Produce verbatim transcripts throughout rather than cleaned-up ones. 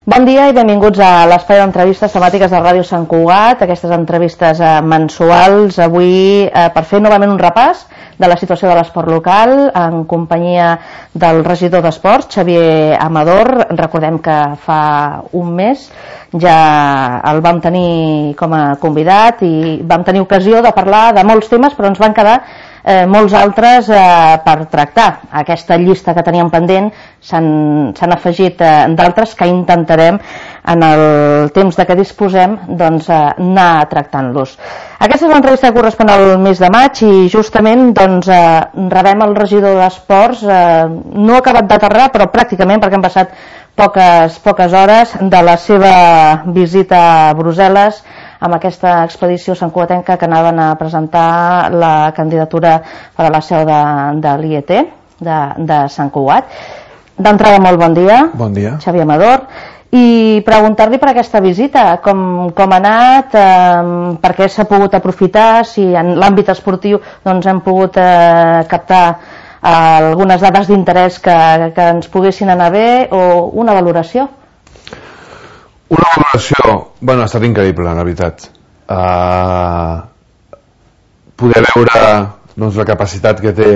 Bon dia i benvinguts a l'espai d'entrevistes temàtiques de Ràdio Sant Cugat, aquestes entrevistes eh, mensuals, avui eh, per fer novament un repàs de la situació de l'esport local, en companyia del regidor d'Esports, Xavier Amador. Recordem que fa un mes ja el vam tenir com a convidat i vam tenir ocasió de parlar de molts temes, però ens van quedar eh, molts altres eh, per tractar. A aquesta llista que teníem pendent s'han afegit eh, d'altres que intentarem en el temps de què disposem doncs, eh, anar tractant-los. Aquesta és l'entrevista que correspon al mes de maig i justament doncs, eh, rebem el regidor d'Esports, eh, no ha acabat d'aterrar però pràcticament perquè han passat poques, poques hores de la seva visita a Brussel·les amb aquesta expedició santcugatenca que anaven a presentar la candidatura per a la seu de, de l'I E T de, de Sant Cugat. D'entrada, molt bon dia. Bon dia. Xavier Amador. I preguntar-li per aquesta visita, com, com ha anat, eh, per què s'ha pogut aprofitar, si en l'àmbit esportiu doncs, hem pogut eh, captar eh, algunes dades d'interès que, que ens poguessin anar bé, o una valoració? Una valoració, bueno, ha estat increïble, la veritat. Uh, poder veure doncs, la capacitat que té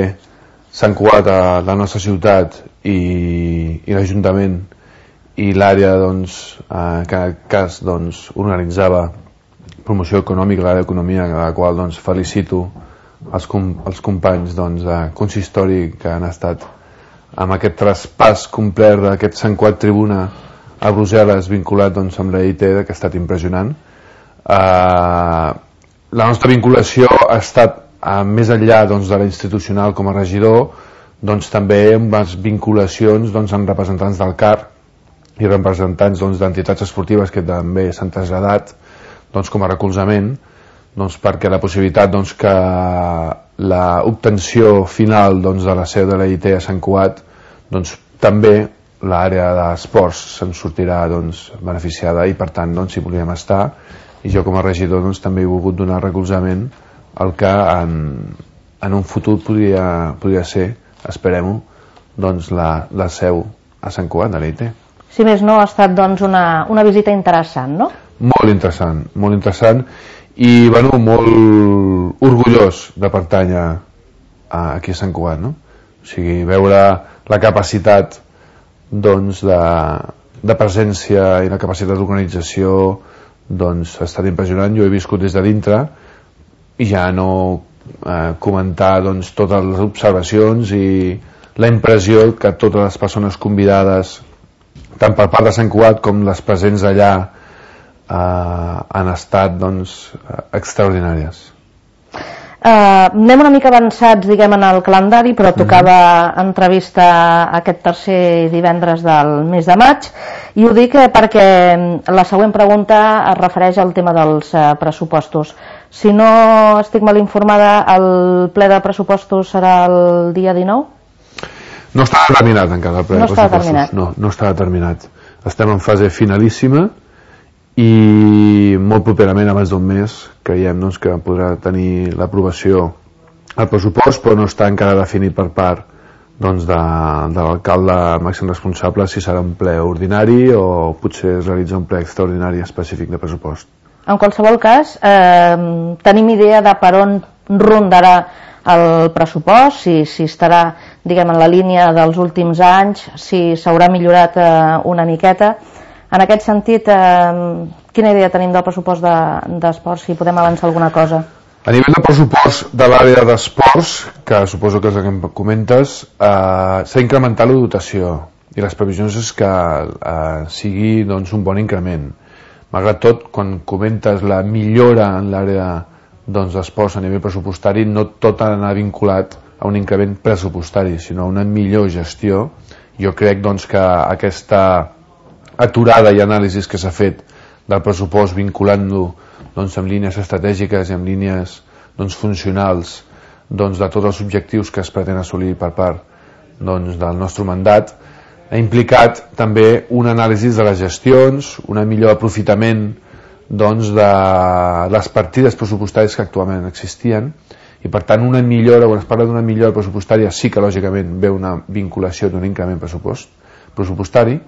Sant Cugat a la nostra ciutat i, i l'Ajuntament i l'àrea doncs, uh, que en aquest cas doncs, organitzava promoció econòmica, l'àrea d'economia, a la qual doncs, felicito els, com, els companys doncs, de consistori que han estat amb aquest traspàs complet d'aquest Sant Cugat Tribuna a Brussel·les vinculat doncs, amb la I T, que ha estat impressionant. Uh, la nostra vinculació ha estat uh, més enllà doncs, de la institucional com a regidor, doncs, també amb les vinculacions doncs, amb representants del C A R i representants doncs, d'entitats esportives que també s'han traslladat doncs, com a recolzament doncs, perquè la possibilitat doncs, que l'obtenció final doncs, de la seu de la I T a Sant Cugat doncs, també l'àrea d'esports se'n sortirà doncs, beneficiada i per tant doncs, hi volíem estar i jo com a regidor doncs, també he volgut donar recolzament al que en, en un futur podria, podria ser, esperem-ho, doncs, la, la seu a Sant Cugat de l'I T. Si més no, ha estat doncs, una, una visita interessant, no? Molt interessant, molt interessant i bueno, molt orgullós de pertànyer a, aquí a Sant Cugat, no? O sigui, veure la capacitat doncs, de, de presència i la capacitat d'organització doncs, ha estat impressionant. Jo he viscut des de dintre i ja no eh, comentar doncs, totes les observacions i la impressió que totes les persones convidades tant per part de Sant Cugat com les presents allà eh, han estat doncs, extraordinàries. Uh, anem una mica avançats diguem en el calendari, però tocava mm-hmm. entrevista aquest tercer divendres del mes de maig i ho dic perquè la següent pregunta es refereix al tema dels uh, pressupostos. Si no estic mal informada, el ple de pressupostos serà el dia dinou? No està determinat encara el ple no de pressupostos. Determinat. No, no està determinat. Estem en fase finalíssima i molt properament, abans d'un mes, creiem doncs, que podrà tenir l'aprovació al pressupost, però no està encara definit per part doncs, de, de l'alcalde màxim responsable si serà un ple ordinari o potser es realitza un ple extraordinari específic de pressupost. En qualsevol cas, eh, tenim idea de per on rondarà el pressupost, si, si estarà diguem, en la línia dels últims anys, si s'haurà millorat eh, una miqueta. En aquest sentit, eh, quina idea tenim del pressupost d'esports, de, si podem avançar alguna cosa? A nivell de pressupost de l'àrea d'esports, que suposo que és el que em comentes, eh, s'ha incrementat la dotació i les previsions és que eh, sigui doncs, un bon increment. Malgrat tot, quan comentes la millora en l'àrea doncs, d'esports a nivell pressupostari, no tot ha d'anar vinculat a un increment pressupostari, sinó a una millor gestió. Jo crec doncs, que aquesta aturada i anàlisis que s'ha fet del pressupost vinculant-lo doncs, amb línies estratègiques i amb línies doncs, funcionals doncs, de tots els objectius que es pretén assolir per part doncs, del nostre mandat, ha implicat també un anàlisi de les gestions, un millor aprofitament doncs, de les partides pressupostàries que actualment existien i per tant una millora, quan es parla d'una millora pressupostària sí que lògicament ve una vinculació d'un increment pressupost, pressupostari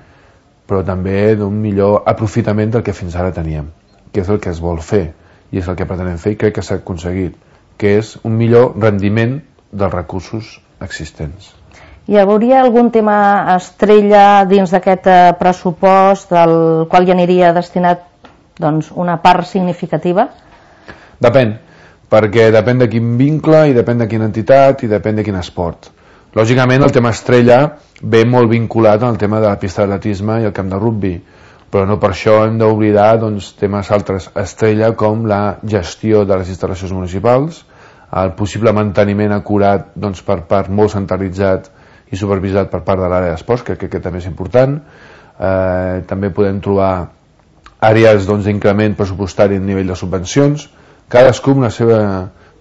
però també d'un millor aprofitament del que fins ara teníem, que és el que es vol fer i és el que pretenem fer i crec que s'ha aconseguit, que és un millor rendiment dels recursos existents. Hi hauria algun tema estrella dins d'aquest pressupost del qual hi aniria destinat doncs, una part significativa? Depèn, perquè depèn de quin vincle i depèn de quina entitat i depèn de quin esport. Lògicament el tema estrella ve molt vinculat al tema de la pista d'atletisme i el camp de rugby, però no per això hem d'oblidar doncs, temes altres estrella com la gestió de les instal·lacions municipals, el possible manteniment acurat doncs, per part molt centralitzat i supervisat per part de l'àrea d'esports, que crec que també és important. Eh, també podem trobar àrees doncs, d'increment pressupostari a nivell de subvencions, cadascú amb la seva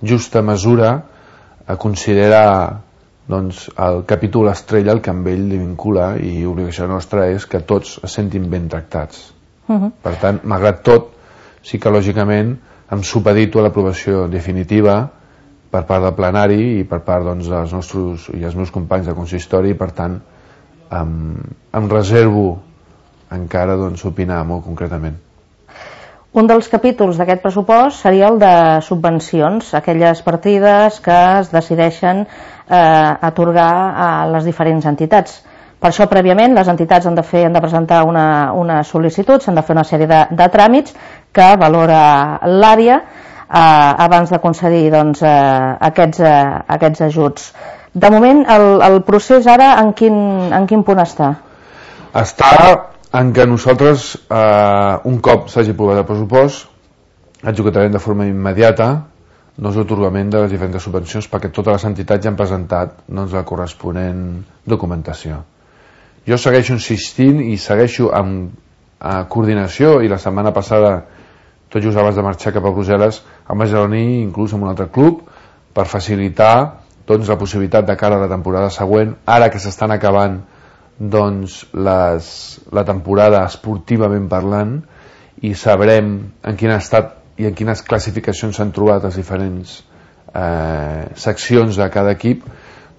justa mesura a considerar doncs, el capítol estrella el que amb ell li vincula i l'obligació nostra és que tots es sentin ben tractats. Uh-huh. Per tant, malgrat tot, sí que lògicament em supedito a l'aprovació definitiva per part del plenari i per part doncs, dels nostres i els meus companys de consistori i per tant em, em reservo encara doncs, opinar molt concretament. Un dels capítols d'aquest pressupost seria el de subvencions, aquelles partides que es decideixen eh, atorgar a les diferents entitats. Per això, prèviament, les entitats han de, fer, han de presentar una, una sol·licitud, s'han de fer una sèrie de, de tràmits que valora l'àrea eh, abans de concedir doncs, eh, aquests, eh, aquests ajuts. De moment, el, el procés ara en quin, en quin punt està? Està en què nosaltres, eh, un cop s'hagi aprovat el pressupost, executarem de forma immediata doncs, l'atorgament de les diferents subvencions perquè totes les entitats ja han presentat doncs, la corresponent documentació. Jo segueixo insistint i segueixo amb eh, coordinació i la setmana passada, tot just abans de marxar cap a Brussel·les, em vaig reunir inclús amb un altre club per facilitar doncs, la possibilitat de cara a la temporada següent, ara que s'estan acabant doncs les, la temporada esportivament parlant i sabrem en quin estat i en quines classificacions s'han trobat les diferents eh, seccions de cada equip,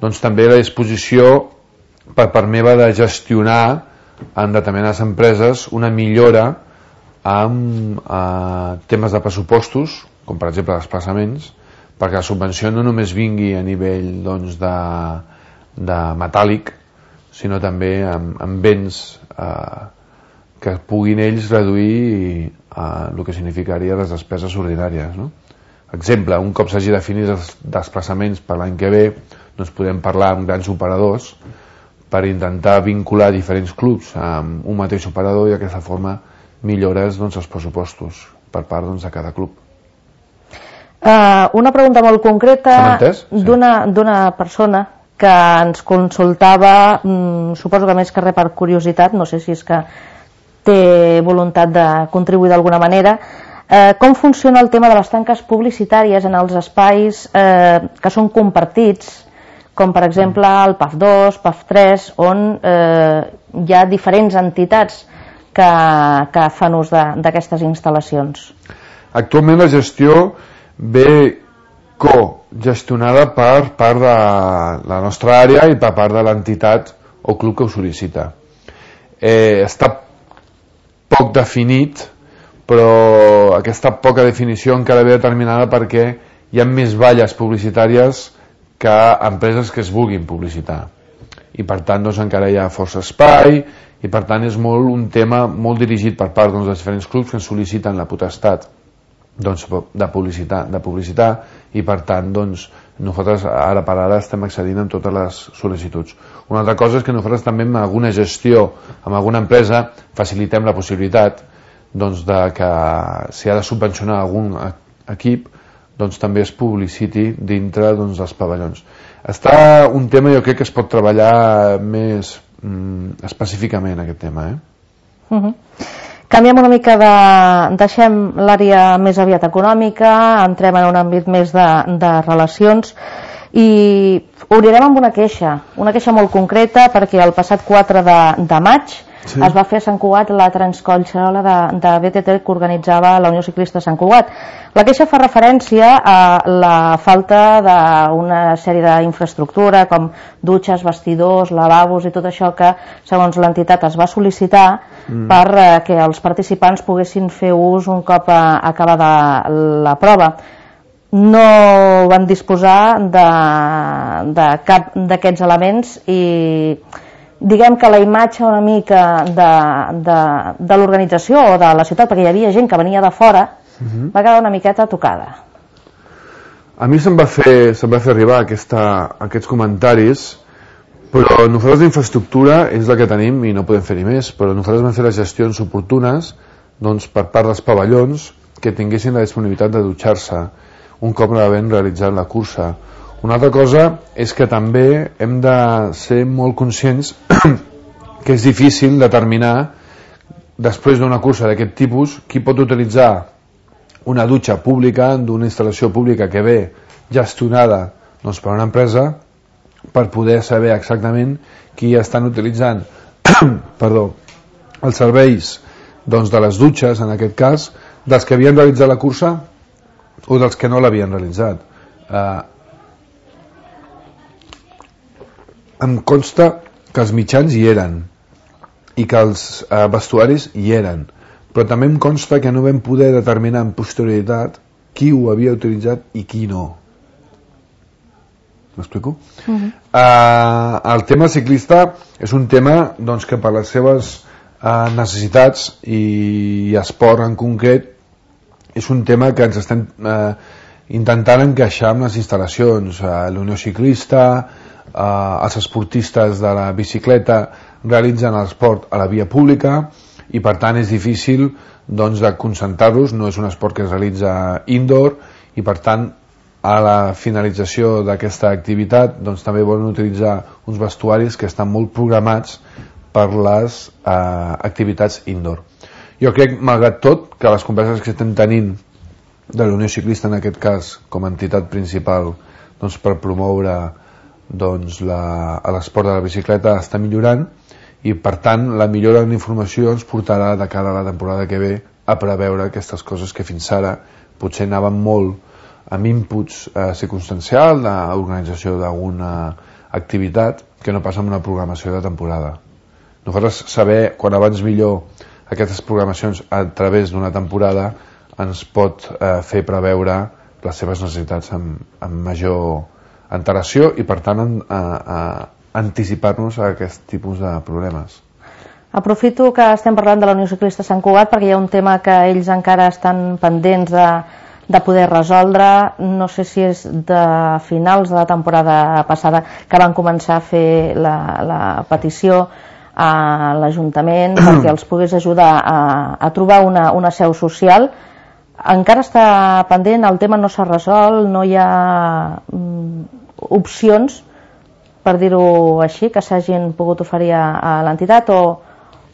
doncs també la disposició per part meva de gestionar en determinades empreses una millora amb eh, temes de pressupostos, com per exemple desplaçaments, perquè la subvenció no només vingui a nivell doncs, de, de metàl·lic, sinó també amb, amb béns eh, que puguin ells reduir eh, el que significaria les despeses ordinàries. No? Exemple, un cop s'hagi definit els desplaçaments per l'any que ve, doncs podem parlar amb grans operadors per intentar vincular diferents clubs amb un mateix operador i d'aquesta forma millores doncs, els pressupostos per part doncs, de cada club. Uh, una pregunta molt concreta sí. d'una persona que ens consultava, mm, suposo que més que res per curiositat, no sé si és que té voluntat de contribuir d'alguna manera, eh, com funciona el tema de les tanques publicitàries en els espais eh, que són compartits, com per exemple el P A F dos, P A F tres, on eh, hi ha diferents entitats que, que fan ús d'aquestes instal·lacions. Actualment la gestió ve cogestionada per part de la nostra àrea i per part de l'entitat o club que ho sol·licita. Eh, està poc definit, però aquesta poca definició encara ve determinada perquè hi ha més valles publicitàries que empreses que es vulguin publicitar. I per tant doncs, encara hi ha força espai i per tant és molt un tema molt dirigit per part doncs, dels diferents clubs que ens sol·liciten la potestat doncs, de publicitar, de publicitar i per tant doncs, nosaltres ara per ara estem accedint en totes les sol·licituds. Una altra cosa és que nosaltres també amb alguna gestió, amb alguna empresa facilitem la possibilitat doncs, de que si ha de subvencionar algun equip doncs, també es publiciti dintre doncs, dels pavellons. Està un tema, jo crec que es pot treballar més mm, específicament aquest tema. Eh? Uh-huh. Canviem una mica de... deixem l'àrea més aviat econòmica, entrem en un àmbit més de, de relacions i obrirem amb una queixa, una queixa molt concreta perquè el passat quatre de, de maig sí. es va fer a Sant Cugat la transcollxerola de, de B T T que organitzava la Unió Ciclista Sant Cugat. La queixa fa referència a la falta d'una sèrie d'infraestructura com dutxes, vestidors, lavabos i tot això que segons l'entitat es va sol·licitar mm. per eh, que els participants poguessin fer ús un cop eh, acabada la prova. No van disposar de, de cap d'aquests elements i diguem que la imatge una mica de, de, de l'organització o de la ciutat, perquè hi havia gent que venia de fora, mm-hmm. va quedar una miqueta tocada. A mi se'm va fer, se'm va fer arribar aquesta, aquests comentaris, però nosaltres d'infraestructura és la que tenim i no podem fer-hi més, però nosaltres vam fer les gestions oportunes doncs, per part dels pavellons que tinguessin la disponibilitat de dutxar-se un cop havent realitzat la cursa. Una altra cosa és que també hem de ser molt conscients que és difícil determinar després d'una cursa d'aquest tipus qui pot utilitzar una dutxa pública d'una instal·lació pública que ve gestionada doncs, per una empresa per poder saber exactament qui estan utilitzant perdó, els serveis doncs, de les dutxes, en aquest cas, dels que havien realitzat la cursa o dels que no l'havien realitzat. Eh, em consta que els mitjans hi eren i que els eh, vestuaris hi eren, però també em consta que no vam poder determinar en posterioritat qui ho havia utilitzat i qui no. M'explico? Uh-huh. Uh, el tema ciclista és un tema doncs, que per les seves uh, necessitats i, i esport en concret és un tema que ens estem uh, intentant encaixar amb les instal·lacions. Uh, la Unió Ciclista, uh, els esportistes de la bicicleta realitzen l'esport a la via pública i per tant és difícil doncs, de concentrar-los, no és un esport que es realitza indoor i per tant a la finalització d'aquesta activitat doncs, també volen utilitzar uns vestuaris que estan molt programats per les eh, activitats indoor. Jo crec, malgrat tot, que les converses que estem tenint de la Unió Ciclista, en aquest cas, com a entitat principal doncs, per promoure doncs, l'esport de la bicicleta està millorant i, per tant, la millora en informació ens portarà de cara a la temporada que ve a preveure aquestes coses que fins ara potser anaven molt amb inputs eh, circumstancial d'organització d'alguna activitat que no passa amb una programació de temporada. Nosaltres saber quan abans millor aquestes programacions a través d'una temporada ens pot eh, fer preveure les seves necessitats amb, amb major antelació i per tant en, a, a anticipar-nos a aquest tipus de problemes. Aprofito que estem parlant de la Unió Ciclista Sant Cugat perquè hi ha un tema que ells encara estan pendents de de poder resoldre, no sé si és de finals de la temporada passada que van començar a fer la, la petició a l'Ajuntament perquè els pogués ajudar a, a trobar una, una seu social. Encara està pendent, el tema no s'ha resolt, no hi ha mm, opcions, per dir-ho així, que s'hagin pogut oferir a, a l'entitat, o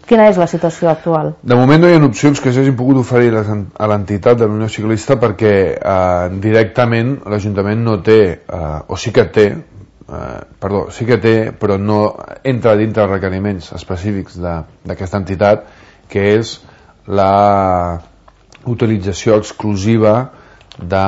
quina és la situació actual? De moment no hi ha opcions que s'hagin pogut oferir a l'entitat de la Unió Ciclista perquè eh, directament l'Ajuntament no té, eh, o sí que té, eh, perdó, sí que té, però no entra dintre els requeriments específics d'aquesta entitat, que és la utilització exclusiva de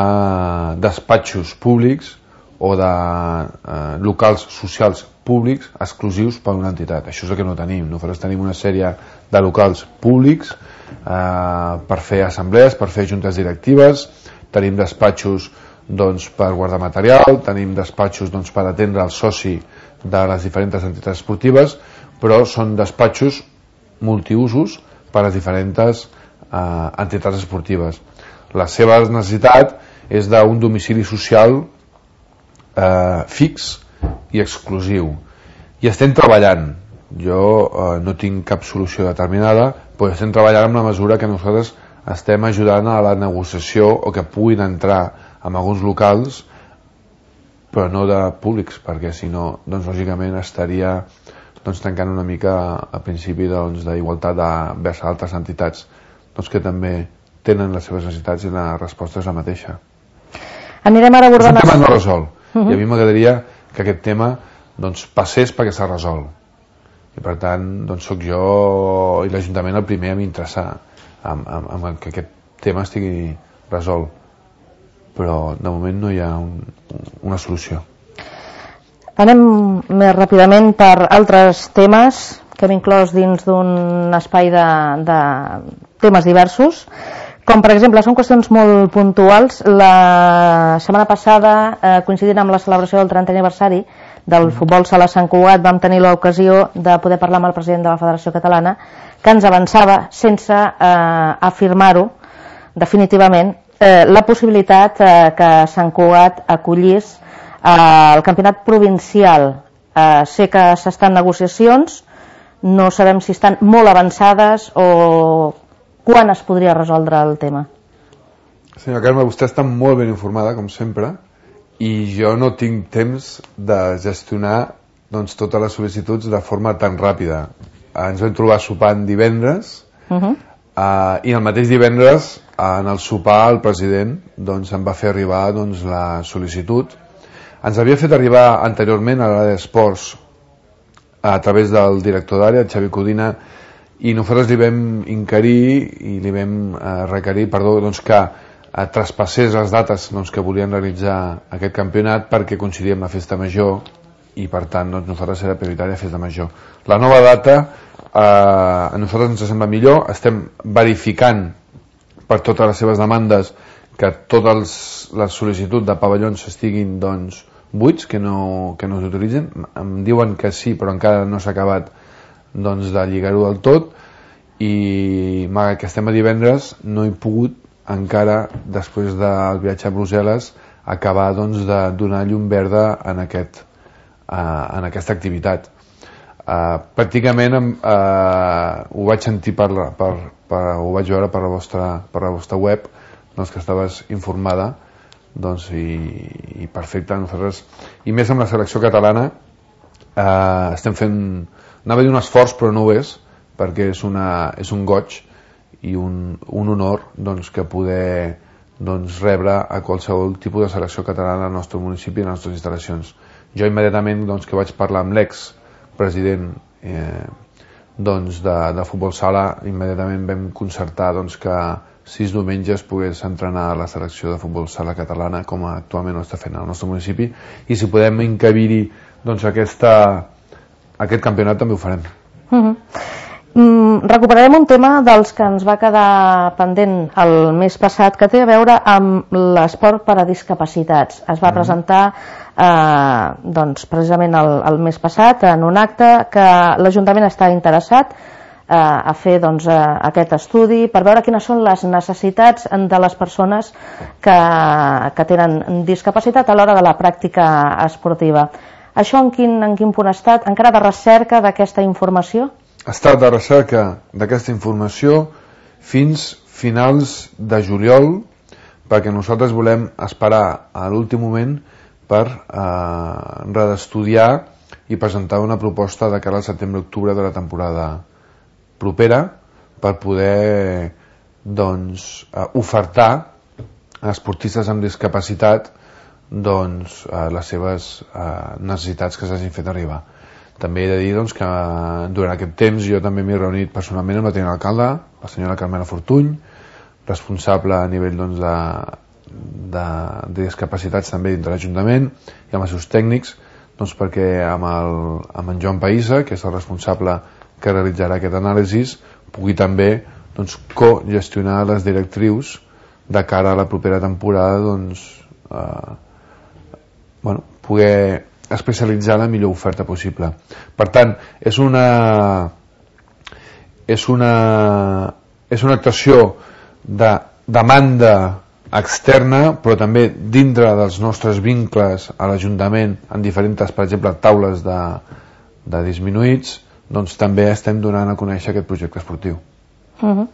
despatxos públics o de eh, locals socials públics exclusius per una entitat. Això és el que no tenim. Nosaltres tenim una sèrie de locals públics eh, per fer assemblees, per fer juntes directives, tenim despatxos doncs, per guardar material, tenim despatxos doncs, per atendre el soci de les diferents entitats esportives, però són despatxos multiusos per a les diferents eh, entitats esportives. La seva necessitat és d'un domicili social eh, fix i exclusiu. I estem treballant. Jo eh, no tinc cap solució determinada, però estem treballant amb la mesura que nosaltres estem ajudant a la negociació o que puguin entrar en alguns locals, però no de públics, perquè si no, doncs lògicament estaria doncs, tancant una mica a principi d'igualtat doncs, vers altres entitats doncs, que també tenen les seves necessitats i la resposta és la mateixa. Anirem ara abordant... És un tema no resolt. Uh-huh. I a mi m'agradaria que aquest tema doncs, passés perquè s'ha resolt. I per tant, doncs, soc jo i l'Ajuntament el primer a m'interessar en, en, en que aquest tema estigui resolt. Però de moment no hi ha un, una solució. Anem més ràpidament per altres temes que hem inclòs dins d'un espai de, de temes diversos, com per exemple, són qüestions molt puntuals. La setmana passada, eh, coincidint amb la celebració del trentè aniversari del futbol sala Sant Cugat, vam tenir l'ocasió de poder parlar amb el president de la Federació Catalana, que ens avançava, sense eh, afirmar-ho definitivament, eh, la possibilitat eh, que Sant Cugat acollís eh, el campionat provincial. Eh, sé que s'estan negociacions, no sabem si estan molt avançades o quan es podria resoldre el tema. Senyora Carme, vostè està molt ben informada, com sempre, i jo no tinc temps de gestionar doncs, totes les sol·licituds de forma tan ràpida. Ens vam trobar sopant divendres, uh-huh. uh, i el mateix divendres, en el sopar, el president doncs, em va fer arribar doncs, la sol·licitud. Ens havia fet arribar anteriorment a l'àrea d'esports a través del director d'àrea, Xavi Codina, i nosaltres li vam inquirir i li vam eh, requerir perdó, doncs, que eh, traspassés les dates doncs, que volien realitzar aquest campionat perquè coincidia amb la festa major i per tant doncs, nosaltres era prioritària festa major. La nova data eh, a nosaltres ens sembla millor, estem verificant per totes les seves demandes que totes les sol·licituds de pavellons estiguin doncs, buits, que no, que no s'utilitzen. Em diuen que sí, però encara no s'ha acabat doncs, de lligar-ho del tot, i malgrat que estem a divendres no he pogut encara, després del viatge a Brussel·les, acabar doncs, de donar llum verda en, aquest, uh, en aquesta activitat. Uh, pràcticament uh, ho vaig sentir per, per, per, ho vaig veure per la vostra, per la vostra web, doncs, que estaves informada, doncs, i, i perfecte. Nosaltres, i més amb la selecció catalana, eh, estem fent, anava a dir un esforç, però no ho és, perquè és, una, és un goig i un, un honor doncs, que poder doncs, rebre a qualsevol tipus de selecció catalana al nostre municipi i a les nostres instal·lacions. Jo immediatament doncs, que vaig parlar amb l'ex-president eh, doncs, de, de futbol sala, immediatament vam concertar doncs, que sis diumenges pogués entrenar a la selecció de futbol sala catalana, com actualment ho està fent al nostre municipi, i si podem encabir-hi doncs, aquesta, aquest campionat també ho farem. Uh-huh. Mm, recuperarem un tema dels que ens va quedar pendent el mes passat, que té a veure amb l'esport per a discapacitats. Es va uh-huh. presentar eh, doncs, precisament el, el mes passat en un acte que l'Ajuntament està interessat a fer doncs, aquest estudi per veure quines són les necessitats de les persones que, que tenen discapacitat a l'hora de la pràctica esportiva. Això en quin, en quin punt ha estat? Encara de recerca d'aquesta informació? Ha estat de recerca d'aquesta informació fins finals de juliol, perquè nosaltres volem esperar a l'últim moment per eh, reestudiar i presentar una proposta de cara al setembre-octubre de la temporada propera per poder doncs, uh, ofertar a esportistes amb discapacitat doncs, uh, les seves uh, necessitats que s'hagin fet arribar. També he de dir doncs, que durant aquest temps jo també m'he reunit personalment amb la tinent alcalde, la senyora Carmela Fortuny, responsable a nivell doncs, de, de, de discapacitats també dintre l'Ajuntament, i amb els seus tècnics, doncs, perquè amb, el, amb en Joan Païssa, que és el responsable que realitzarà aquest anàlisi, pugui també doncs, co-gestionar les directrius de cara a la propera temporada, doncs, eh, bueno, poder especialitzar la millor oferta possible. Per tant, és una és una és una actuació de demanda externa, però també dintre dels nostres vincles a l'Ajuntament en diferents, per exemple, taules de, de disminuïts, doncs també estem donant a conèixer aquest projecte esportiu. Uh-huh.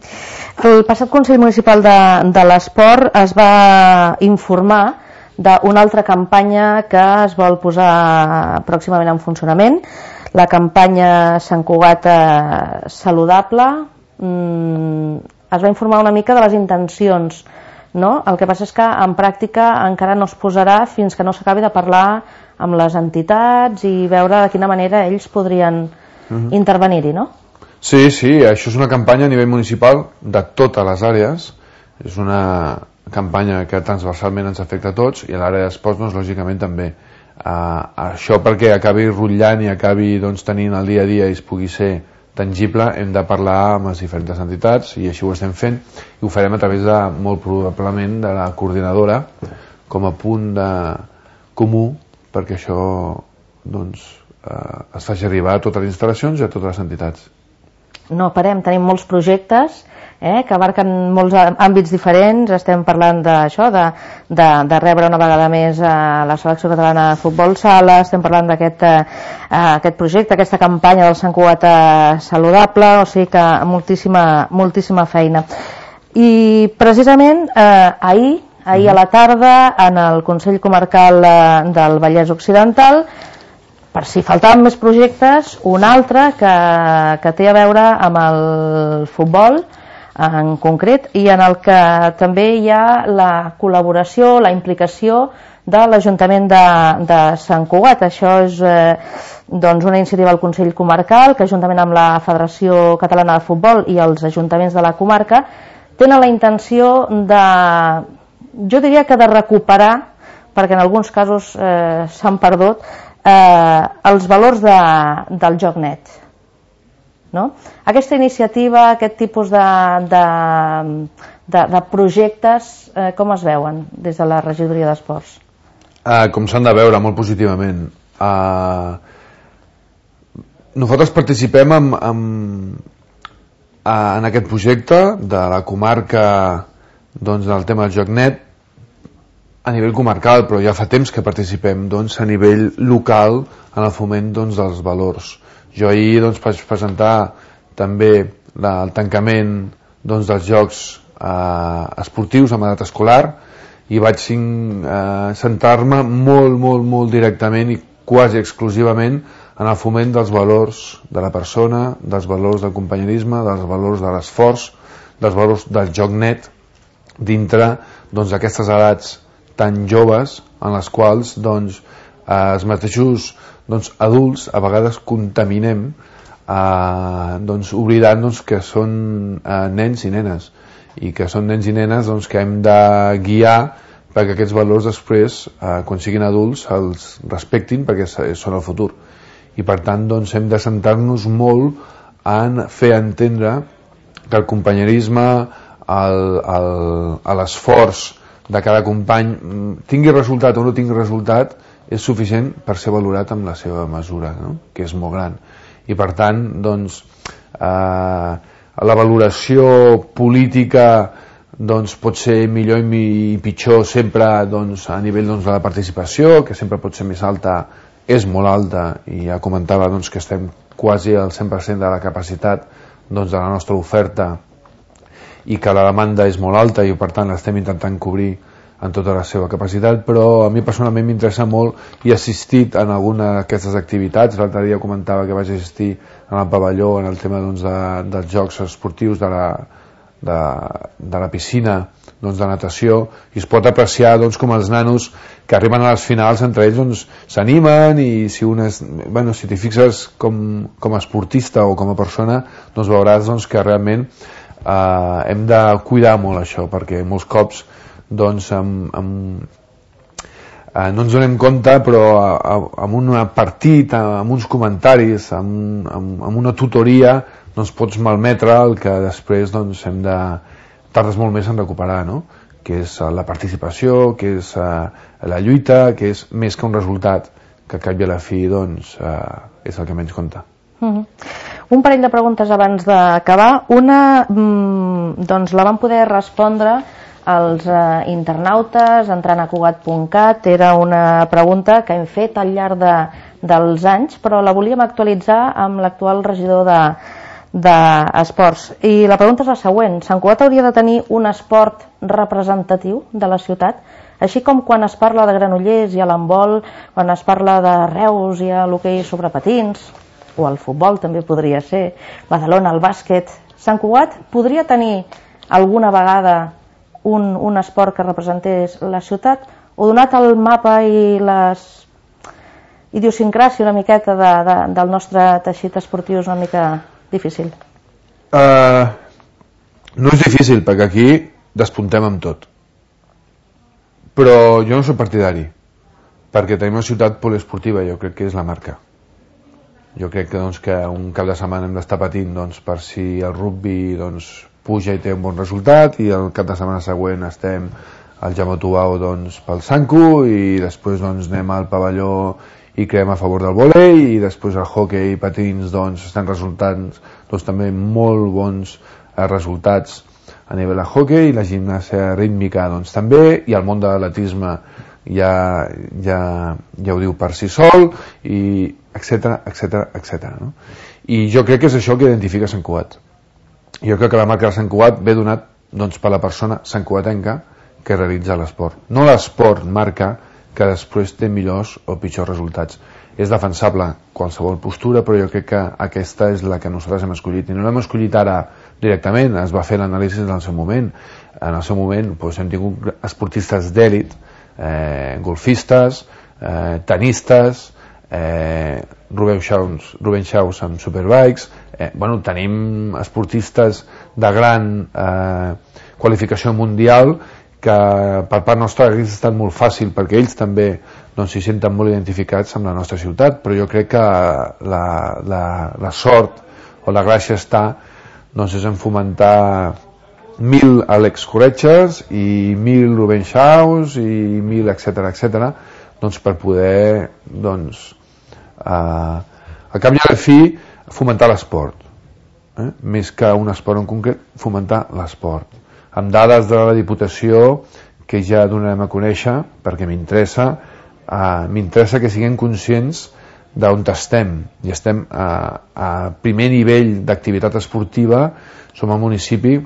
El passat Consell Municipal de, de l'Esport es va informar d'una altra campanya que es vol posar pròximament en funcionament, la campanya Sant Cugat eh, Saludable. Mm, es va informar una mica de les intencions, no? El que passa és que en pràctica encara no es posarà fins que no s'acabi de parlar amb les entitats i veure de quina manera ells podrien Uh-huh. intervenir-hi, no? Sí, sí, això és una campanya a nivell municipal de totes les àrees, és una campanya que transversalment ens afecta a tots, i a l'àrea d'esports, doncs, lògicament també. Uh, això perquè acabi rotllant i acabi doncs, tenint el dia a dia i es pugui ser tangible, hem de parlar amb les diferents entitats i així ho estem fent i ho farem a través de, molt probablement, de la coordinadora com a punt de comú perquè això doncs, eh, es faci arribar a totes les instal·lacions i a totes les entitats. No parem, tenim molts projectes eh, que abarquen molts àmbits diferents. Estem parlant d'això, de, de, de rebre una vegada més a la selecció catalana de futbol sala, estem parlant d'aquest eh, aquest projecte, aquesta campanya del Sant Cugat saludable, o sigui que moltíssima, moltíssima feina. I precisament eh, ahir, ahir a la tarda, en el Consell Comarcal del Vallès Occidental, per si faltaven més projectes, un altre que, que té a veure amb el futbol en concret i en el que també hi ha la col·laboració, la implicació de l'Ajuntament de, de Sant Cugat. Això és eh, doncs una iniciativa del Consell Comarcal que juntament amb la Federació Catalana de Futbol i els ajuntaments de la comarca tenen la intenció de, jo diria que de recuperar, perquè en alguns casos eh, s'han perdut, eh, els valors de, del joc net. No? Aquesta iniciativa, aquest tipus de, de, de, de projectes, eh, com es veuen des de la regidoria d'esports? Uh, com s'han de veure, molt positivament. Uh, nosaltres participem en, en, en aquest projecte de la comarca doncs, del tema del joc net a nivell comarcal, però ja fa temps que participem doncs, a nivell local en el foment doncs, dels valors. Jo ahir doncs, vaig presentar també la, el tancament doncs, dels jocs eh, esportius amb edat escolar i vaig eh, centrar-me molt, molt, molt directament i quasi exclusivament en el foment dels valors de la persona, dels valors del companyerisme, dels valors de l'esforç, dels valors del joc net dintre doncs, d'aquestes edats tan joves en les quals doncs, eh, els mateixos doncs, adults a vegades contaminem eh, doncs, oblidant doncs, que són eh, nens i nenes i que són nens i nenes doncs, que hem de guiar perquè aquests valors després eh, quan siguin adults els respectin perquè són el futur i per tant doncs, hem de centrar-nos molt en fer entendre que el companyerisme l'esforç de cada company tingui resultat o no tingui resultat és suficient per ser valorat amb la seva mesura, no? Que és molt gran. I per tant, doncs, eh, la valoració política doncs, pot ser millor i pitjor sempre doncs, a nivell doncs, de la participació, que sempre pot ser més alta, és molt alta, i ja comentava doncs, que estem quasi al cent per cent de la capacitat doncs, de la nostra oferta i que la demanda és molt alta i per tant l'estem intentant cobrir en tota la seva capacitat, però a mi personalment m'interessa molt i he assistit en alguna d'aquestes activitats. L'altre dia comentava que vaig assistir en el pavelló en el tema doncs, de, dels jocs esportius de la, de, de la piscina doncs, de natació i es pot apreciar doncs, com els nanos que arriben a les finals entre ells doncs, s'animen i si, un és, bueno, si t'hi fixes com, com a esportista o com a persona doncs veuràs doncs, que realment eh, hem de cuidar molt això perquè molts cops doncs amb, amb, eh, no ens donem compte però amb un partit, amb uns comentaris amb, amb, amb una tutoria doncs pots malmetre el que després doncs, hem de tardes molt més en recuperar, no? Que és la participació, que és uh, la lluita, que és més que un resultat que a cap i a la fi doncs, uh, és el que menys compta. Mm-hmm. Un parell de preguntes abans d'acabar. Una mm, doncs la vam poder respondre als eh, internautes entrant a cugat punt cat. Era una pregunta que hem fet al llarg de, dels anys, però la volíem actualitzar amb l'actual regidor de d'esports. I la pregunta és la següent. Sant Cugat hauria de tenir un esport representatiu de la ciutat, així com quan es parla de Granollers i a l'handbol, quan es parla de Reus i a l'hoquei sobre patins, o el futbol també podria ser, Badalona, el bàsquet. Sant Cugat podria tenir alguna vegada un, un esport que representés la ciutat, o donat el mapa i les idiosincràsia una miqueta de, de, del nostre teixit esportiu és una mica difícil? Uh, no és difícil, perquè aquí despuntem amb tot. Però jo no soc partidari, perquè tenim una ciutat poliesportiva, jo crec que és la marca. Jo crec que, doncs, que un cap de setmana hem d'estar patint doncs, per si el rugby doncs, puja i té un bon resultat, i el cap de setmana següent estem al Jaume Tubau doncs, pel Sanku, i després doncs, anem al pavelló i creem a favor del vòlei, i després el hoquei i patins doncs, estan resultant doncs, també molt bons eh, resultats a nivell de hoquei, i la gimnàsia rítmica doncs, també, i el món de l'atletisme ja, ja, ja ho diu per si sol, i etcètera, etcètera, etcètera. No? I jo crec que és això que identifica Sant Cugat. Jo crec que la marca de Sant Cugat ve donat doncs, per la persona santcugatenca que realitza l'esport. No l'esport marca que després té millors o pitjors resultats. És defensable qualsevol postura, però jo crec que aquesta és la que nosaltres hem escollit. I no l'hem escollit ara directament, es va fer l'anàlisi en el seu moment. En el seu moment doncs, hem tingut esportistes d'èlit, eh, golfistes, eh, tenistes, eh, Rubén Xaus, Rubén Xaus amb Superbikes, eh, bueno, tenim esportistes de gran eh, qualificació mundial que per part nostra hauria estat molt fàcil perquè ells també doncs, s'hi senten molt identificats amb la nostra ciutat, però jo crec que la, la, la sort o la gràcia està doncs, és en fomentar mil Àlex Corretges i mil Rubén Xaus i mil etcètera etcètera doncs, per poder doncs, eh, a cap i a la fi fomentar l'esport, eh? Més que un esport en concret, fomentar l'esport amb dades de la Diputació que ja donarem a conèixer perquè m'interessa eh, m'interessa que siguem conscients d'on estem, i estem a, a primer nivell d'activitat esportiva. Som un municipi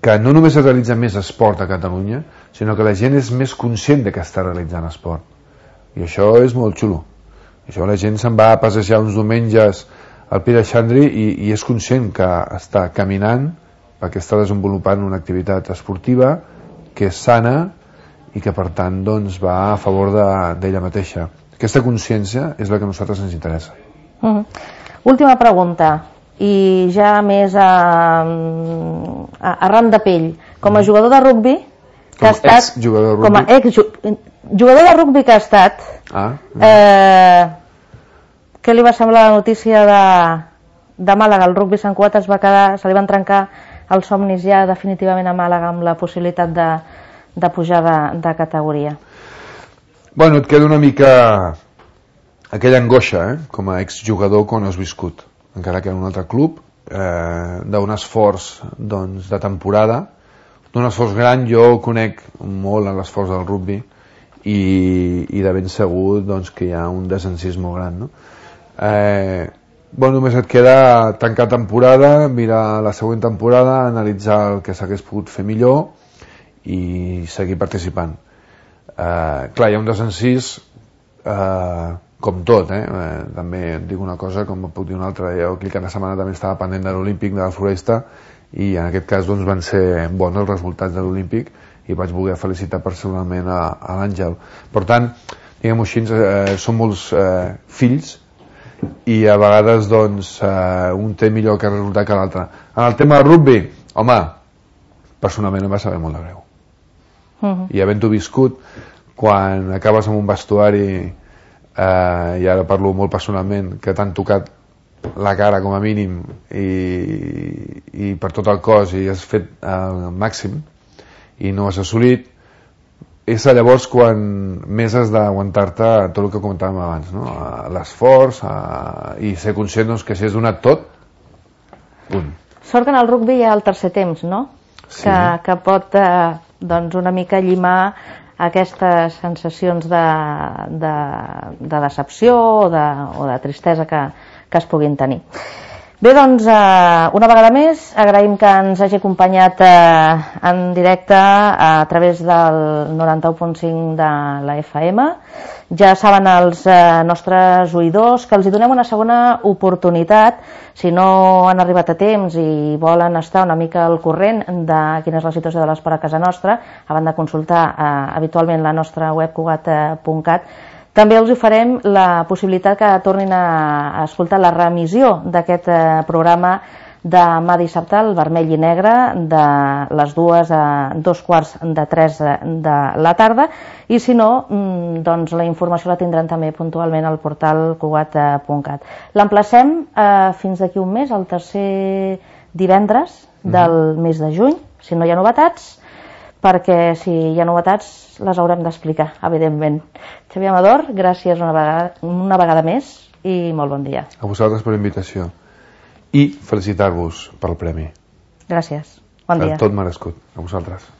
que no només es realitza més esport a Catalunya, sinó que la gent és més conscient de que està realitzant esport, i això és molt xulo. Això la gent se'n va a passejar uns diumenges al Pi de Xandri i, i és conscient que està caminant perquè està desenvolupant una activitat esportiva que és sana i que per tant doncs, va a favor d'ella mateixa. Aquesta consciència és la que a nosaltres ens interessa. Uh-huh. Última pregunta, i ja més a, a, a ram de pell. Com a jugador de rugby que com ha estat, ex-jugador de rugby, com a ex-jugador de rugby que ha estat, ah, eh, què li va semblar la notícia de, de Màlaga? El rugby Sant Cugat es va quedar, se li van trencar els somnis ja definitivament a Màlaga amb la possibilitat de, de pujar de, de categoria. Bueno, et queda una mica aquella angoixa, eh? Com a exjugador quan has viscut, encara que en un altre club, eh, d'un esforç doncs, de temporada, d'un esforç gran. Jo conec molt en l'esforç del rugby i, i de ben segur doncs, que hi ha un desencís molt gran, no? Eh, bueno, només et queda tancar temporada, mirar la següent temporada, analitzar el que s'hagués pogut fer millor i seguir participant. Eh, clar, hi ha un desencís eh, com tot, eh? eh? També et dic una cosa, com puc dir una altra. Jo aquell cap de setmana també estava pendent de l'Olímpic de la Floresta i en aquest cas doncs, van ser bons els resultats de l'Olímpic i vaig voler felicitar personalment a, a l'Àngel. Per tant, diguem-ho així, eh, som molts eh, fills i a vegades doncs, eh, un té millor que resultat que l'altre. En el tema del rugby, home, personalment em va saber molt de greu. Uh-huh. I havent-ho viscut, quan acabes amb un vestuari, eh, i ara parlo molt personalment, que t'han tocat la cara com a mínim i, i per tot el cos i has fet el màxim i no has assolit, és llavors quan més has d'aguantar-te tot el que comentàvem abans, no? L'esforç i ser conscient doncs, que si has donat tot, punt. Sort que en el rugby hi ha el tercer temps, no? Sí. Que, que pot eh, doncs una mica llimar aquestes sensacions de, de, de decepció o de, o de tristesa que, que es puguin tenir. Bé, doncs, eh, una vegada més, agraïm que ens hagi acompanyat eh, en directe a través del noranta-u punt cinc de la F M. Ja saben els eh, nostres oïdors que els hi donem una segona oportunitat si no han arribat a temps i volen estar una mica al corrent de quina és la situació de l'esport a casa nostra, a banda de consultar eh, habitualment la nostra web cugat punt cat. També els oferem la possibilitat que tornin a escoltar la reemissió d'aquest programa demà dissabte, el vermell i negre, de les dues a dos quarts de tres de la tarda, i si no, doncs la informació la tindran també puntualment al portal cugat punt cat. L'emplacem eh, fins d'aquí un mes, el tercer divendres del mes de juny, si no hi ha novetats, perquè si hi ha novetats les haurem d'explicar, evidentment. Xavier Amador, gràcies una vegada, una vegada més i molt bon dia. A vosaltres per l'invitació i felicitar-vos pel premi. Gràcies, bon dia. Tot merescut, a vosaltres.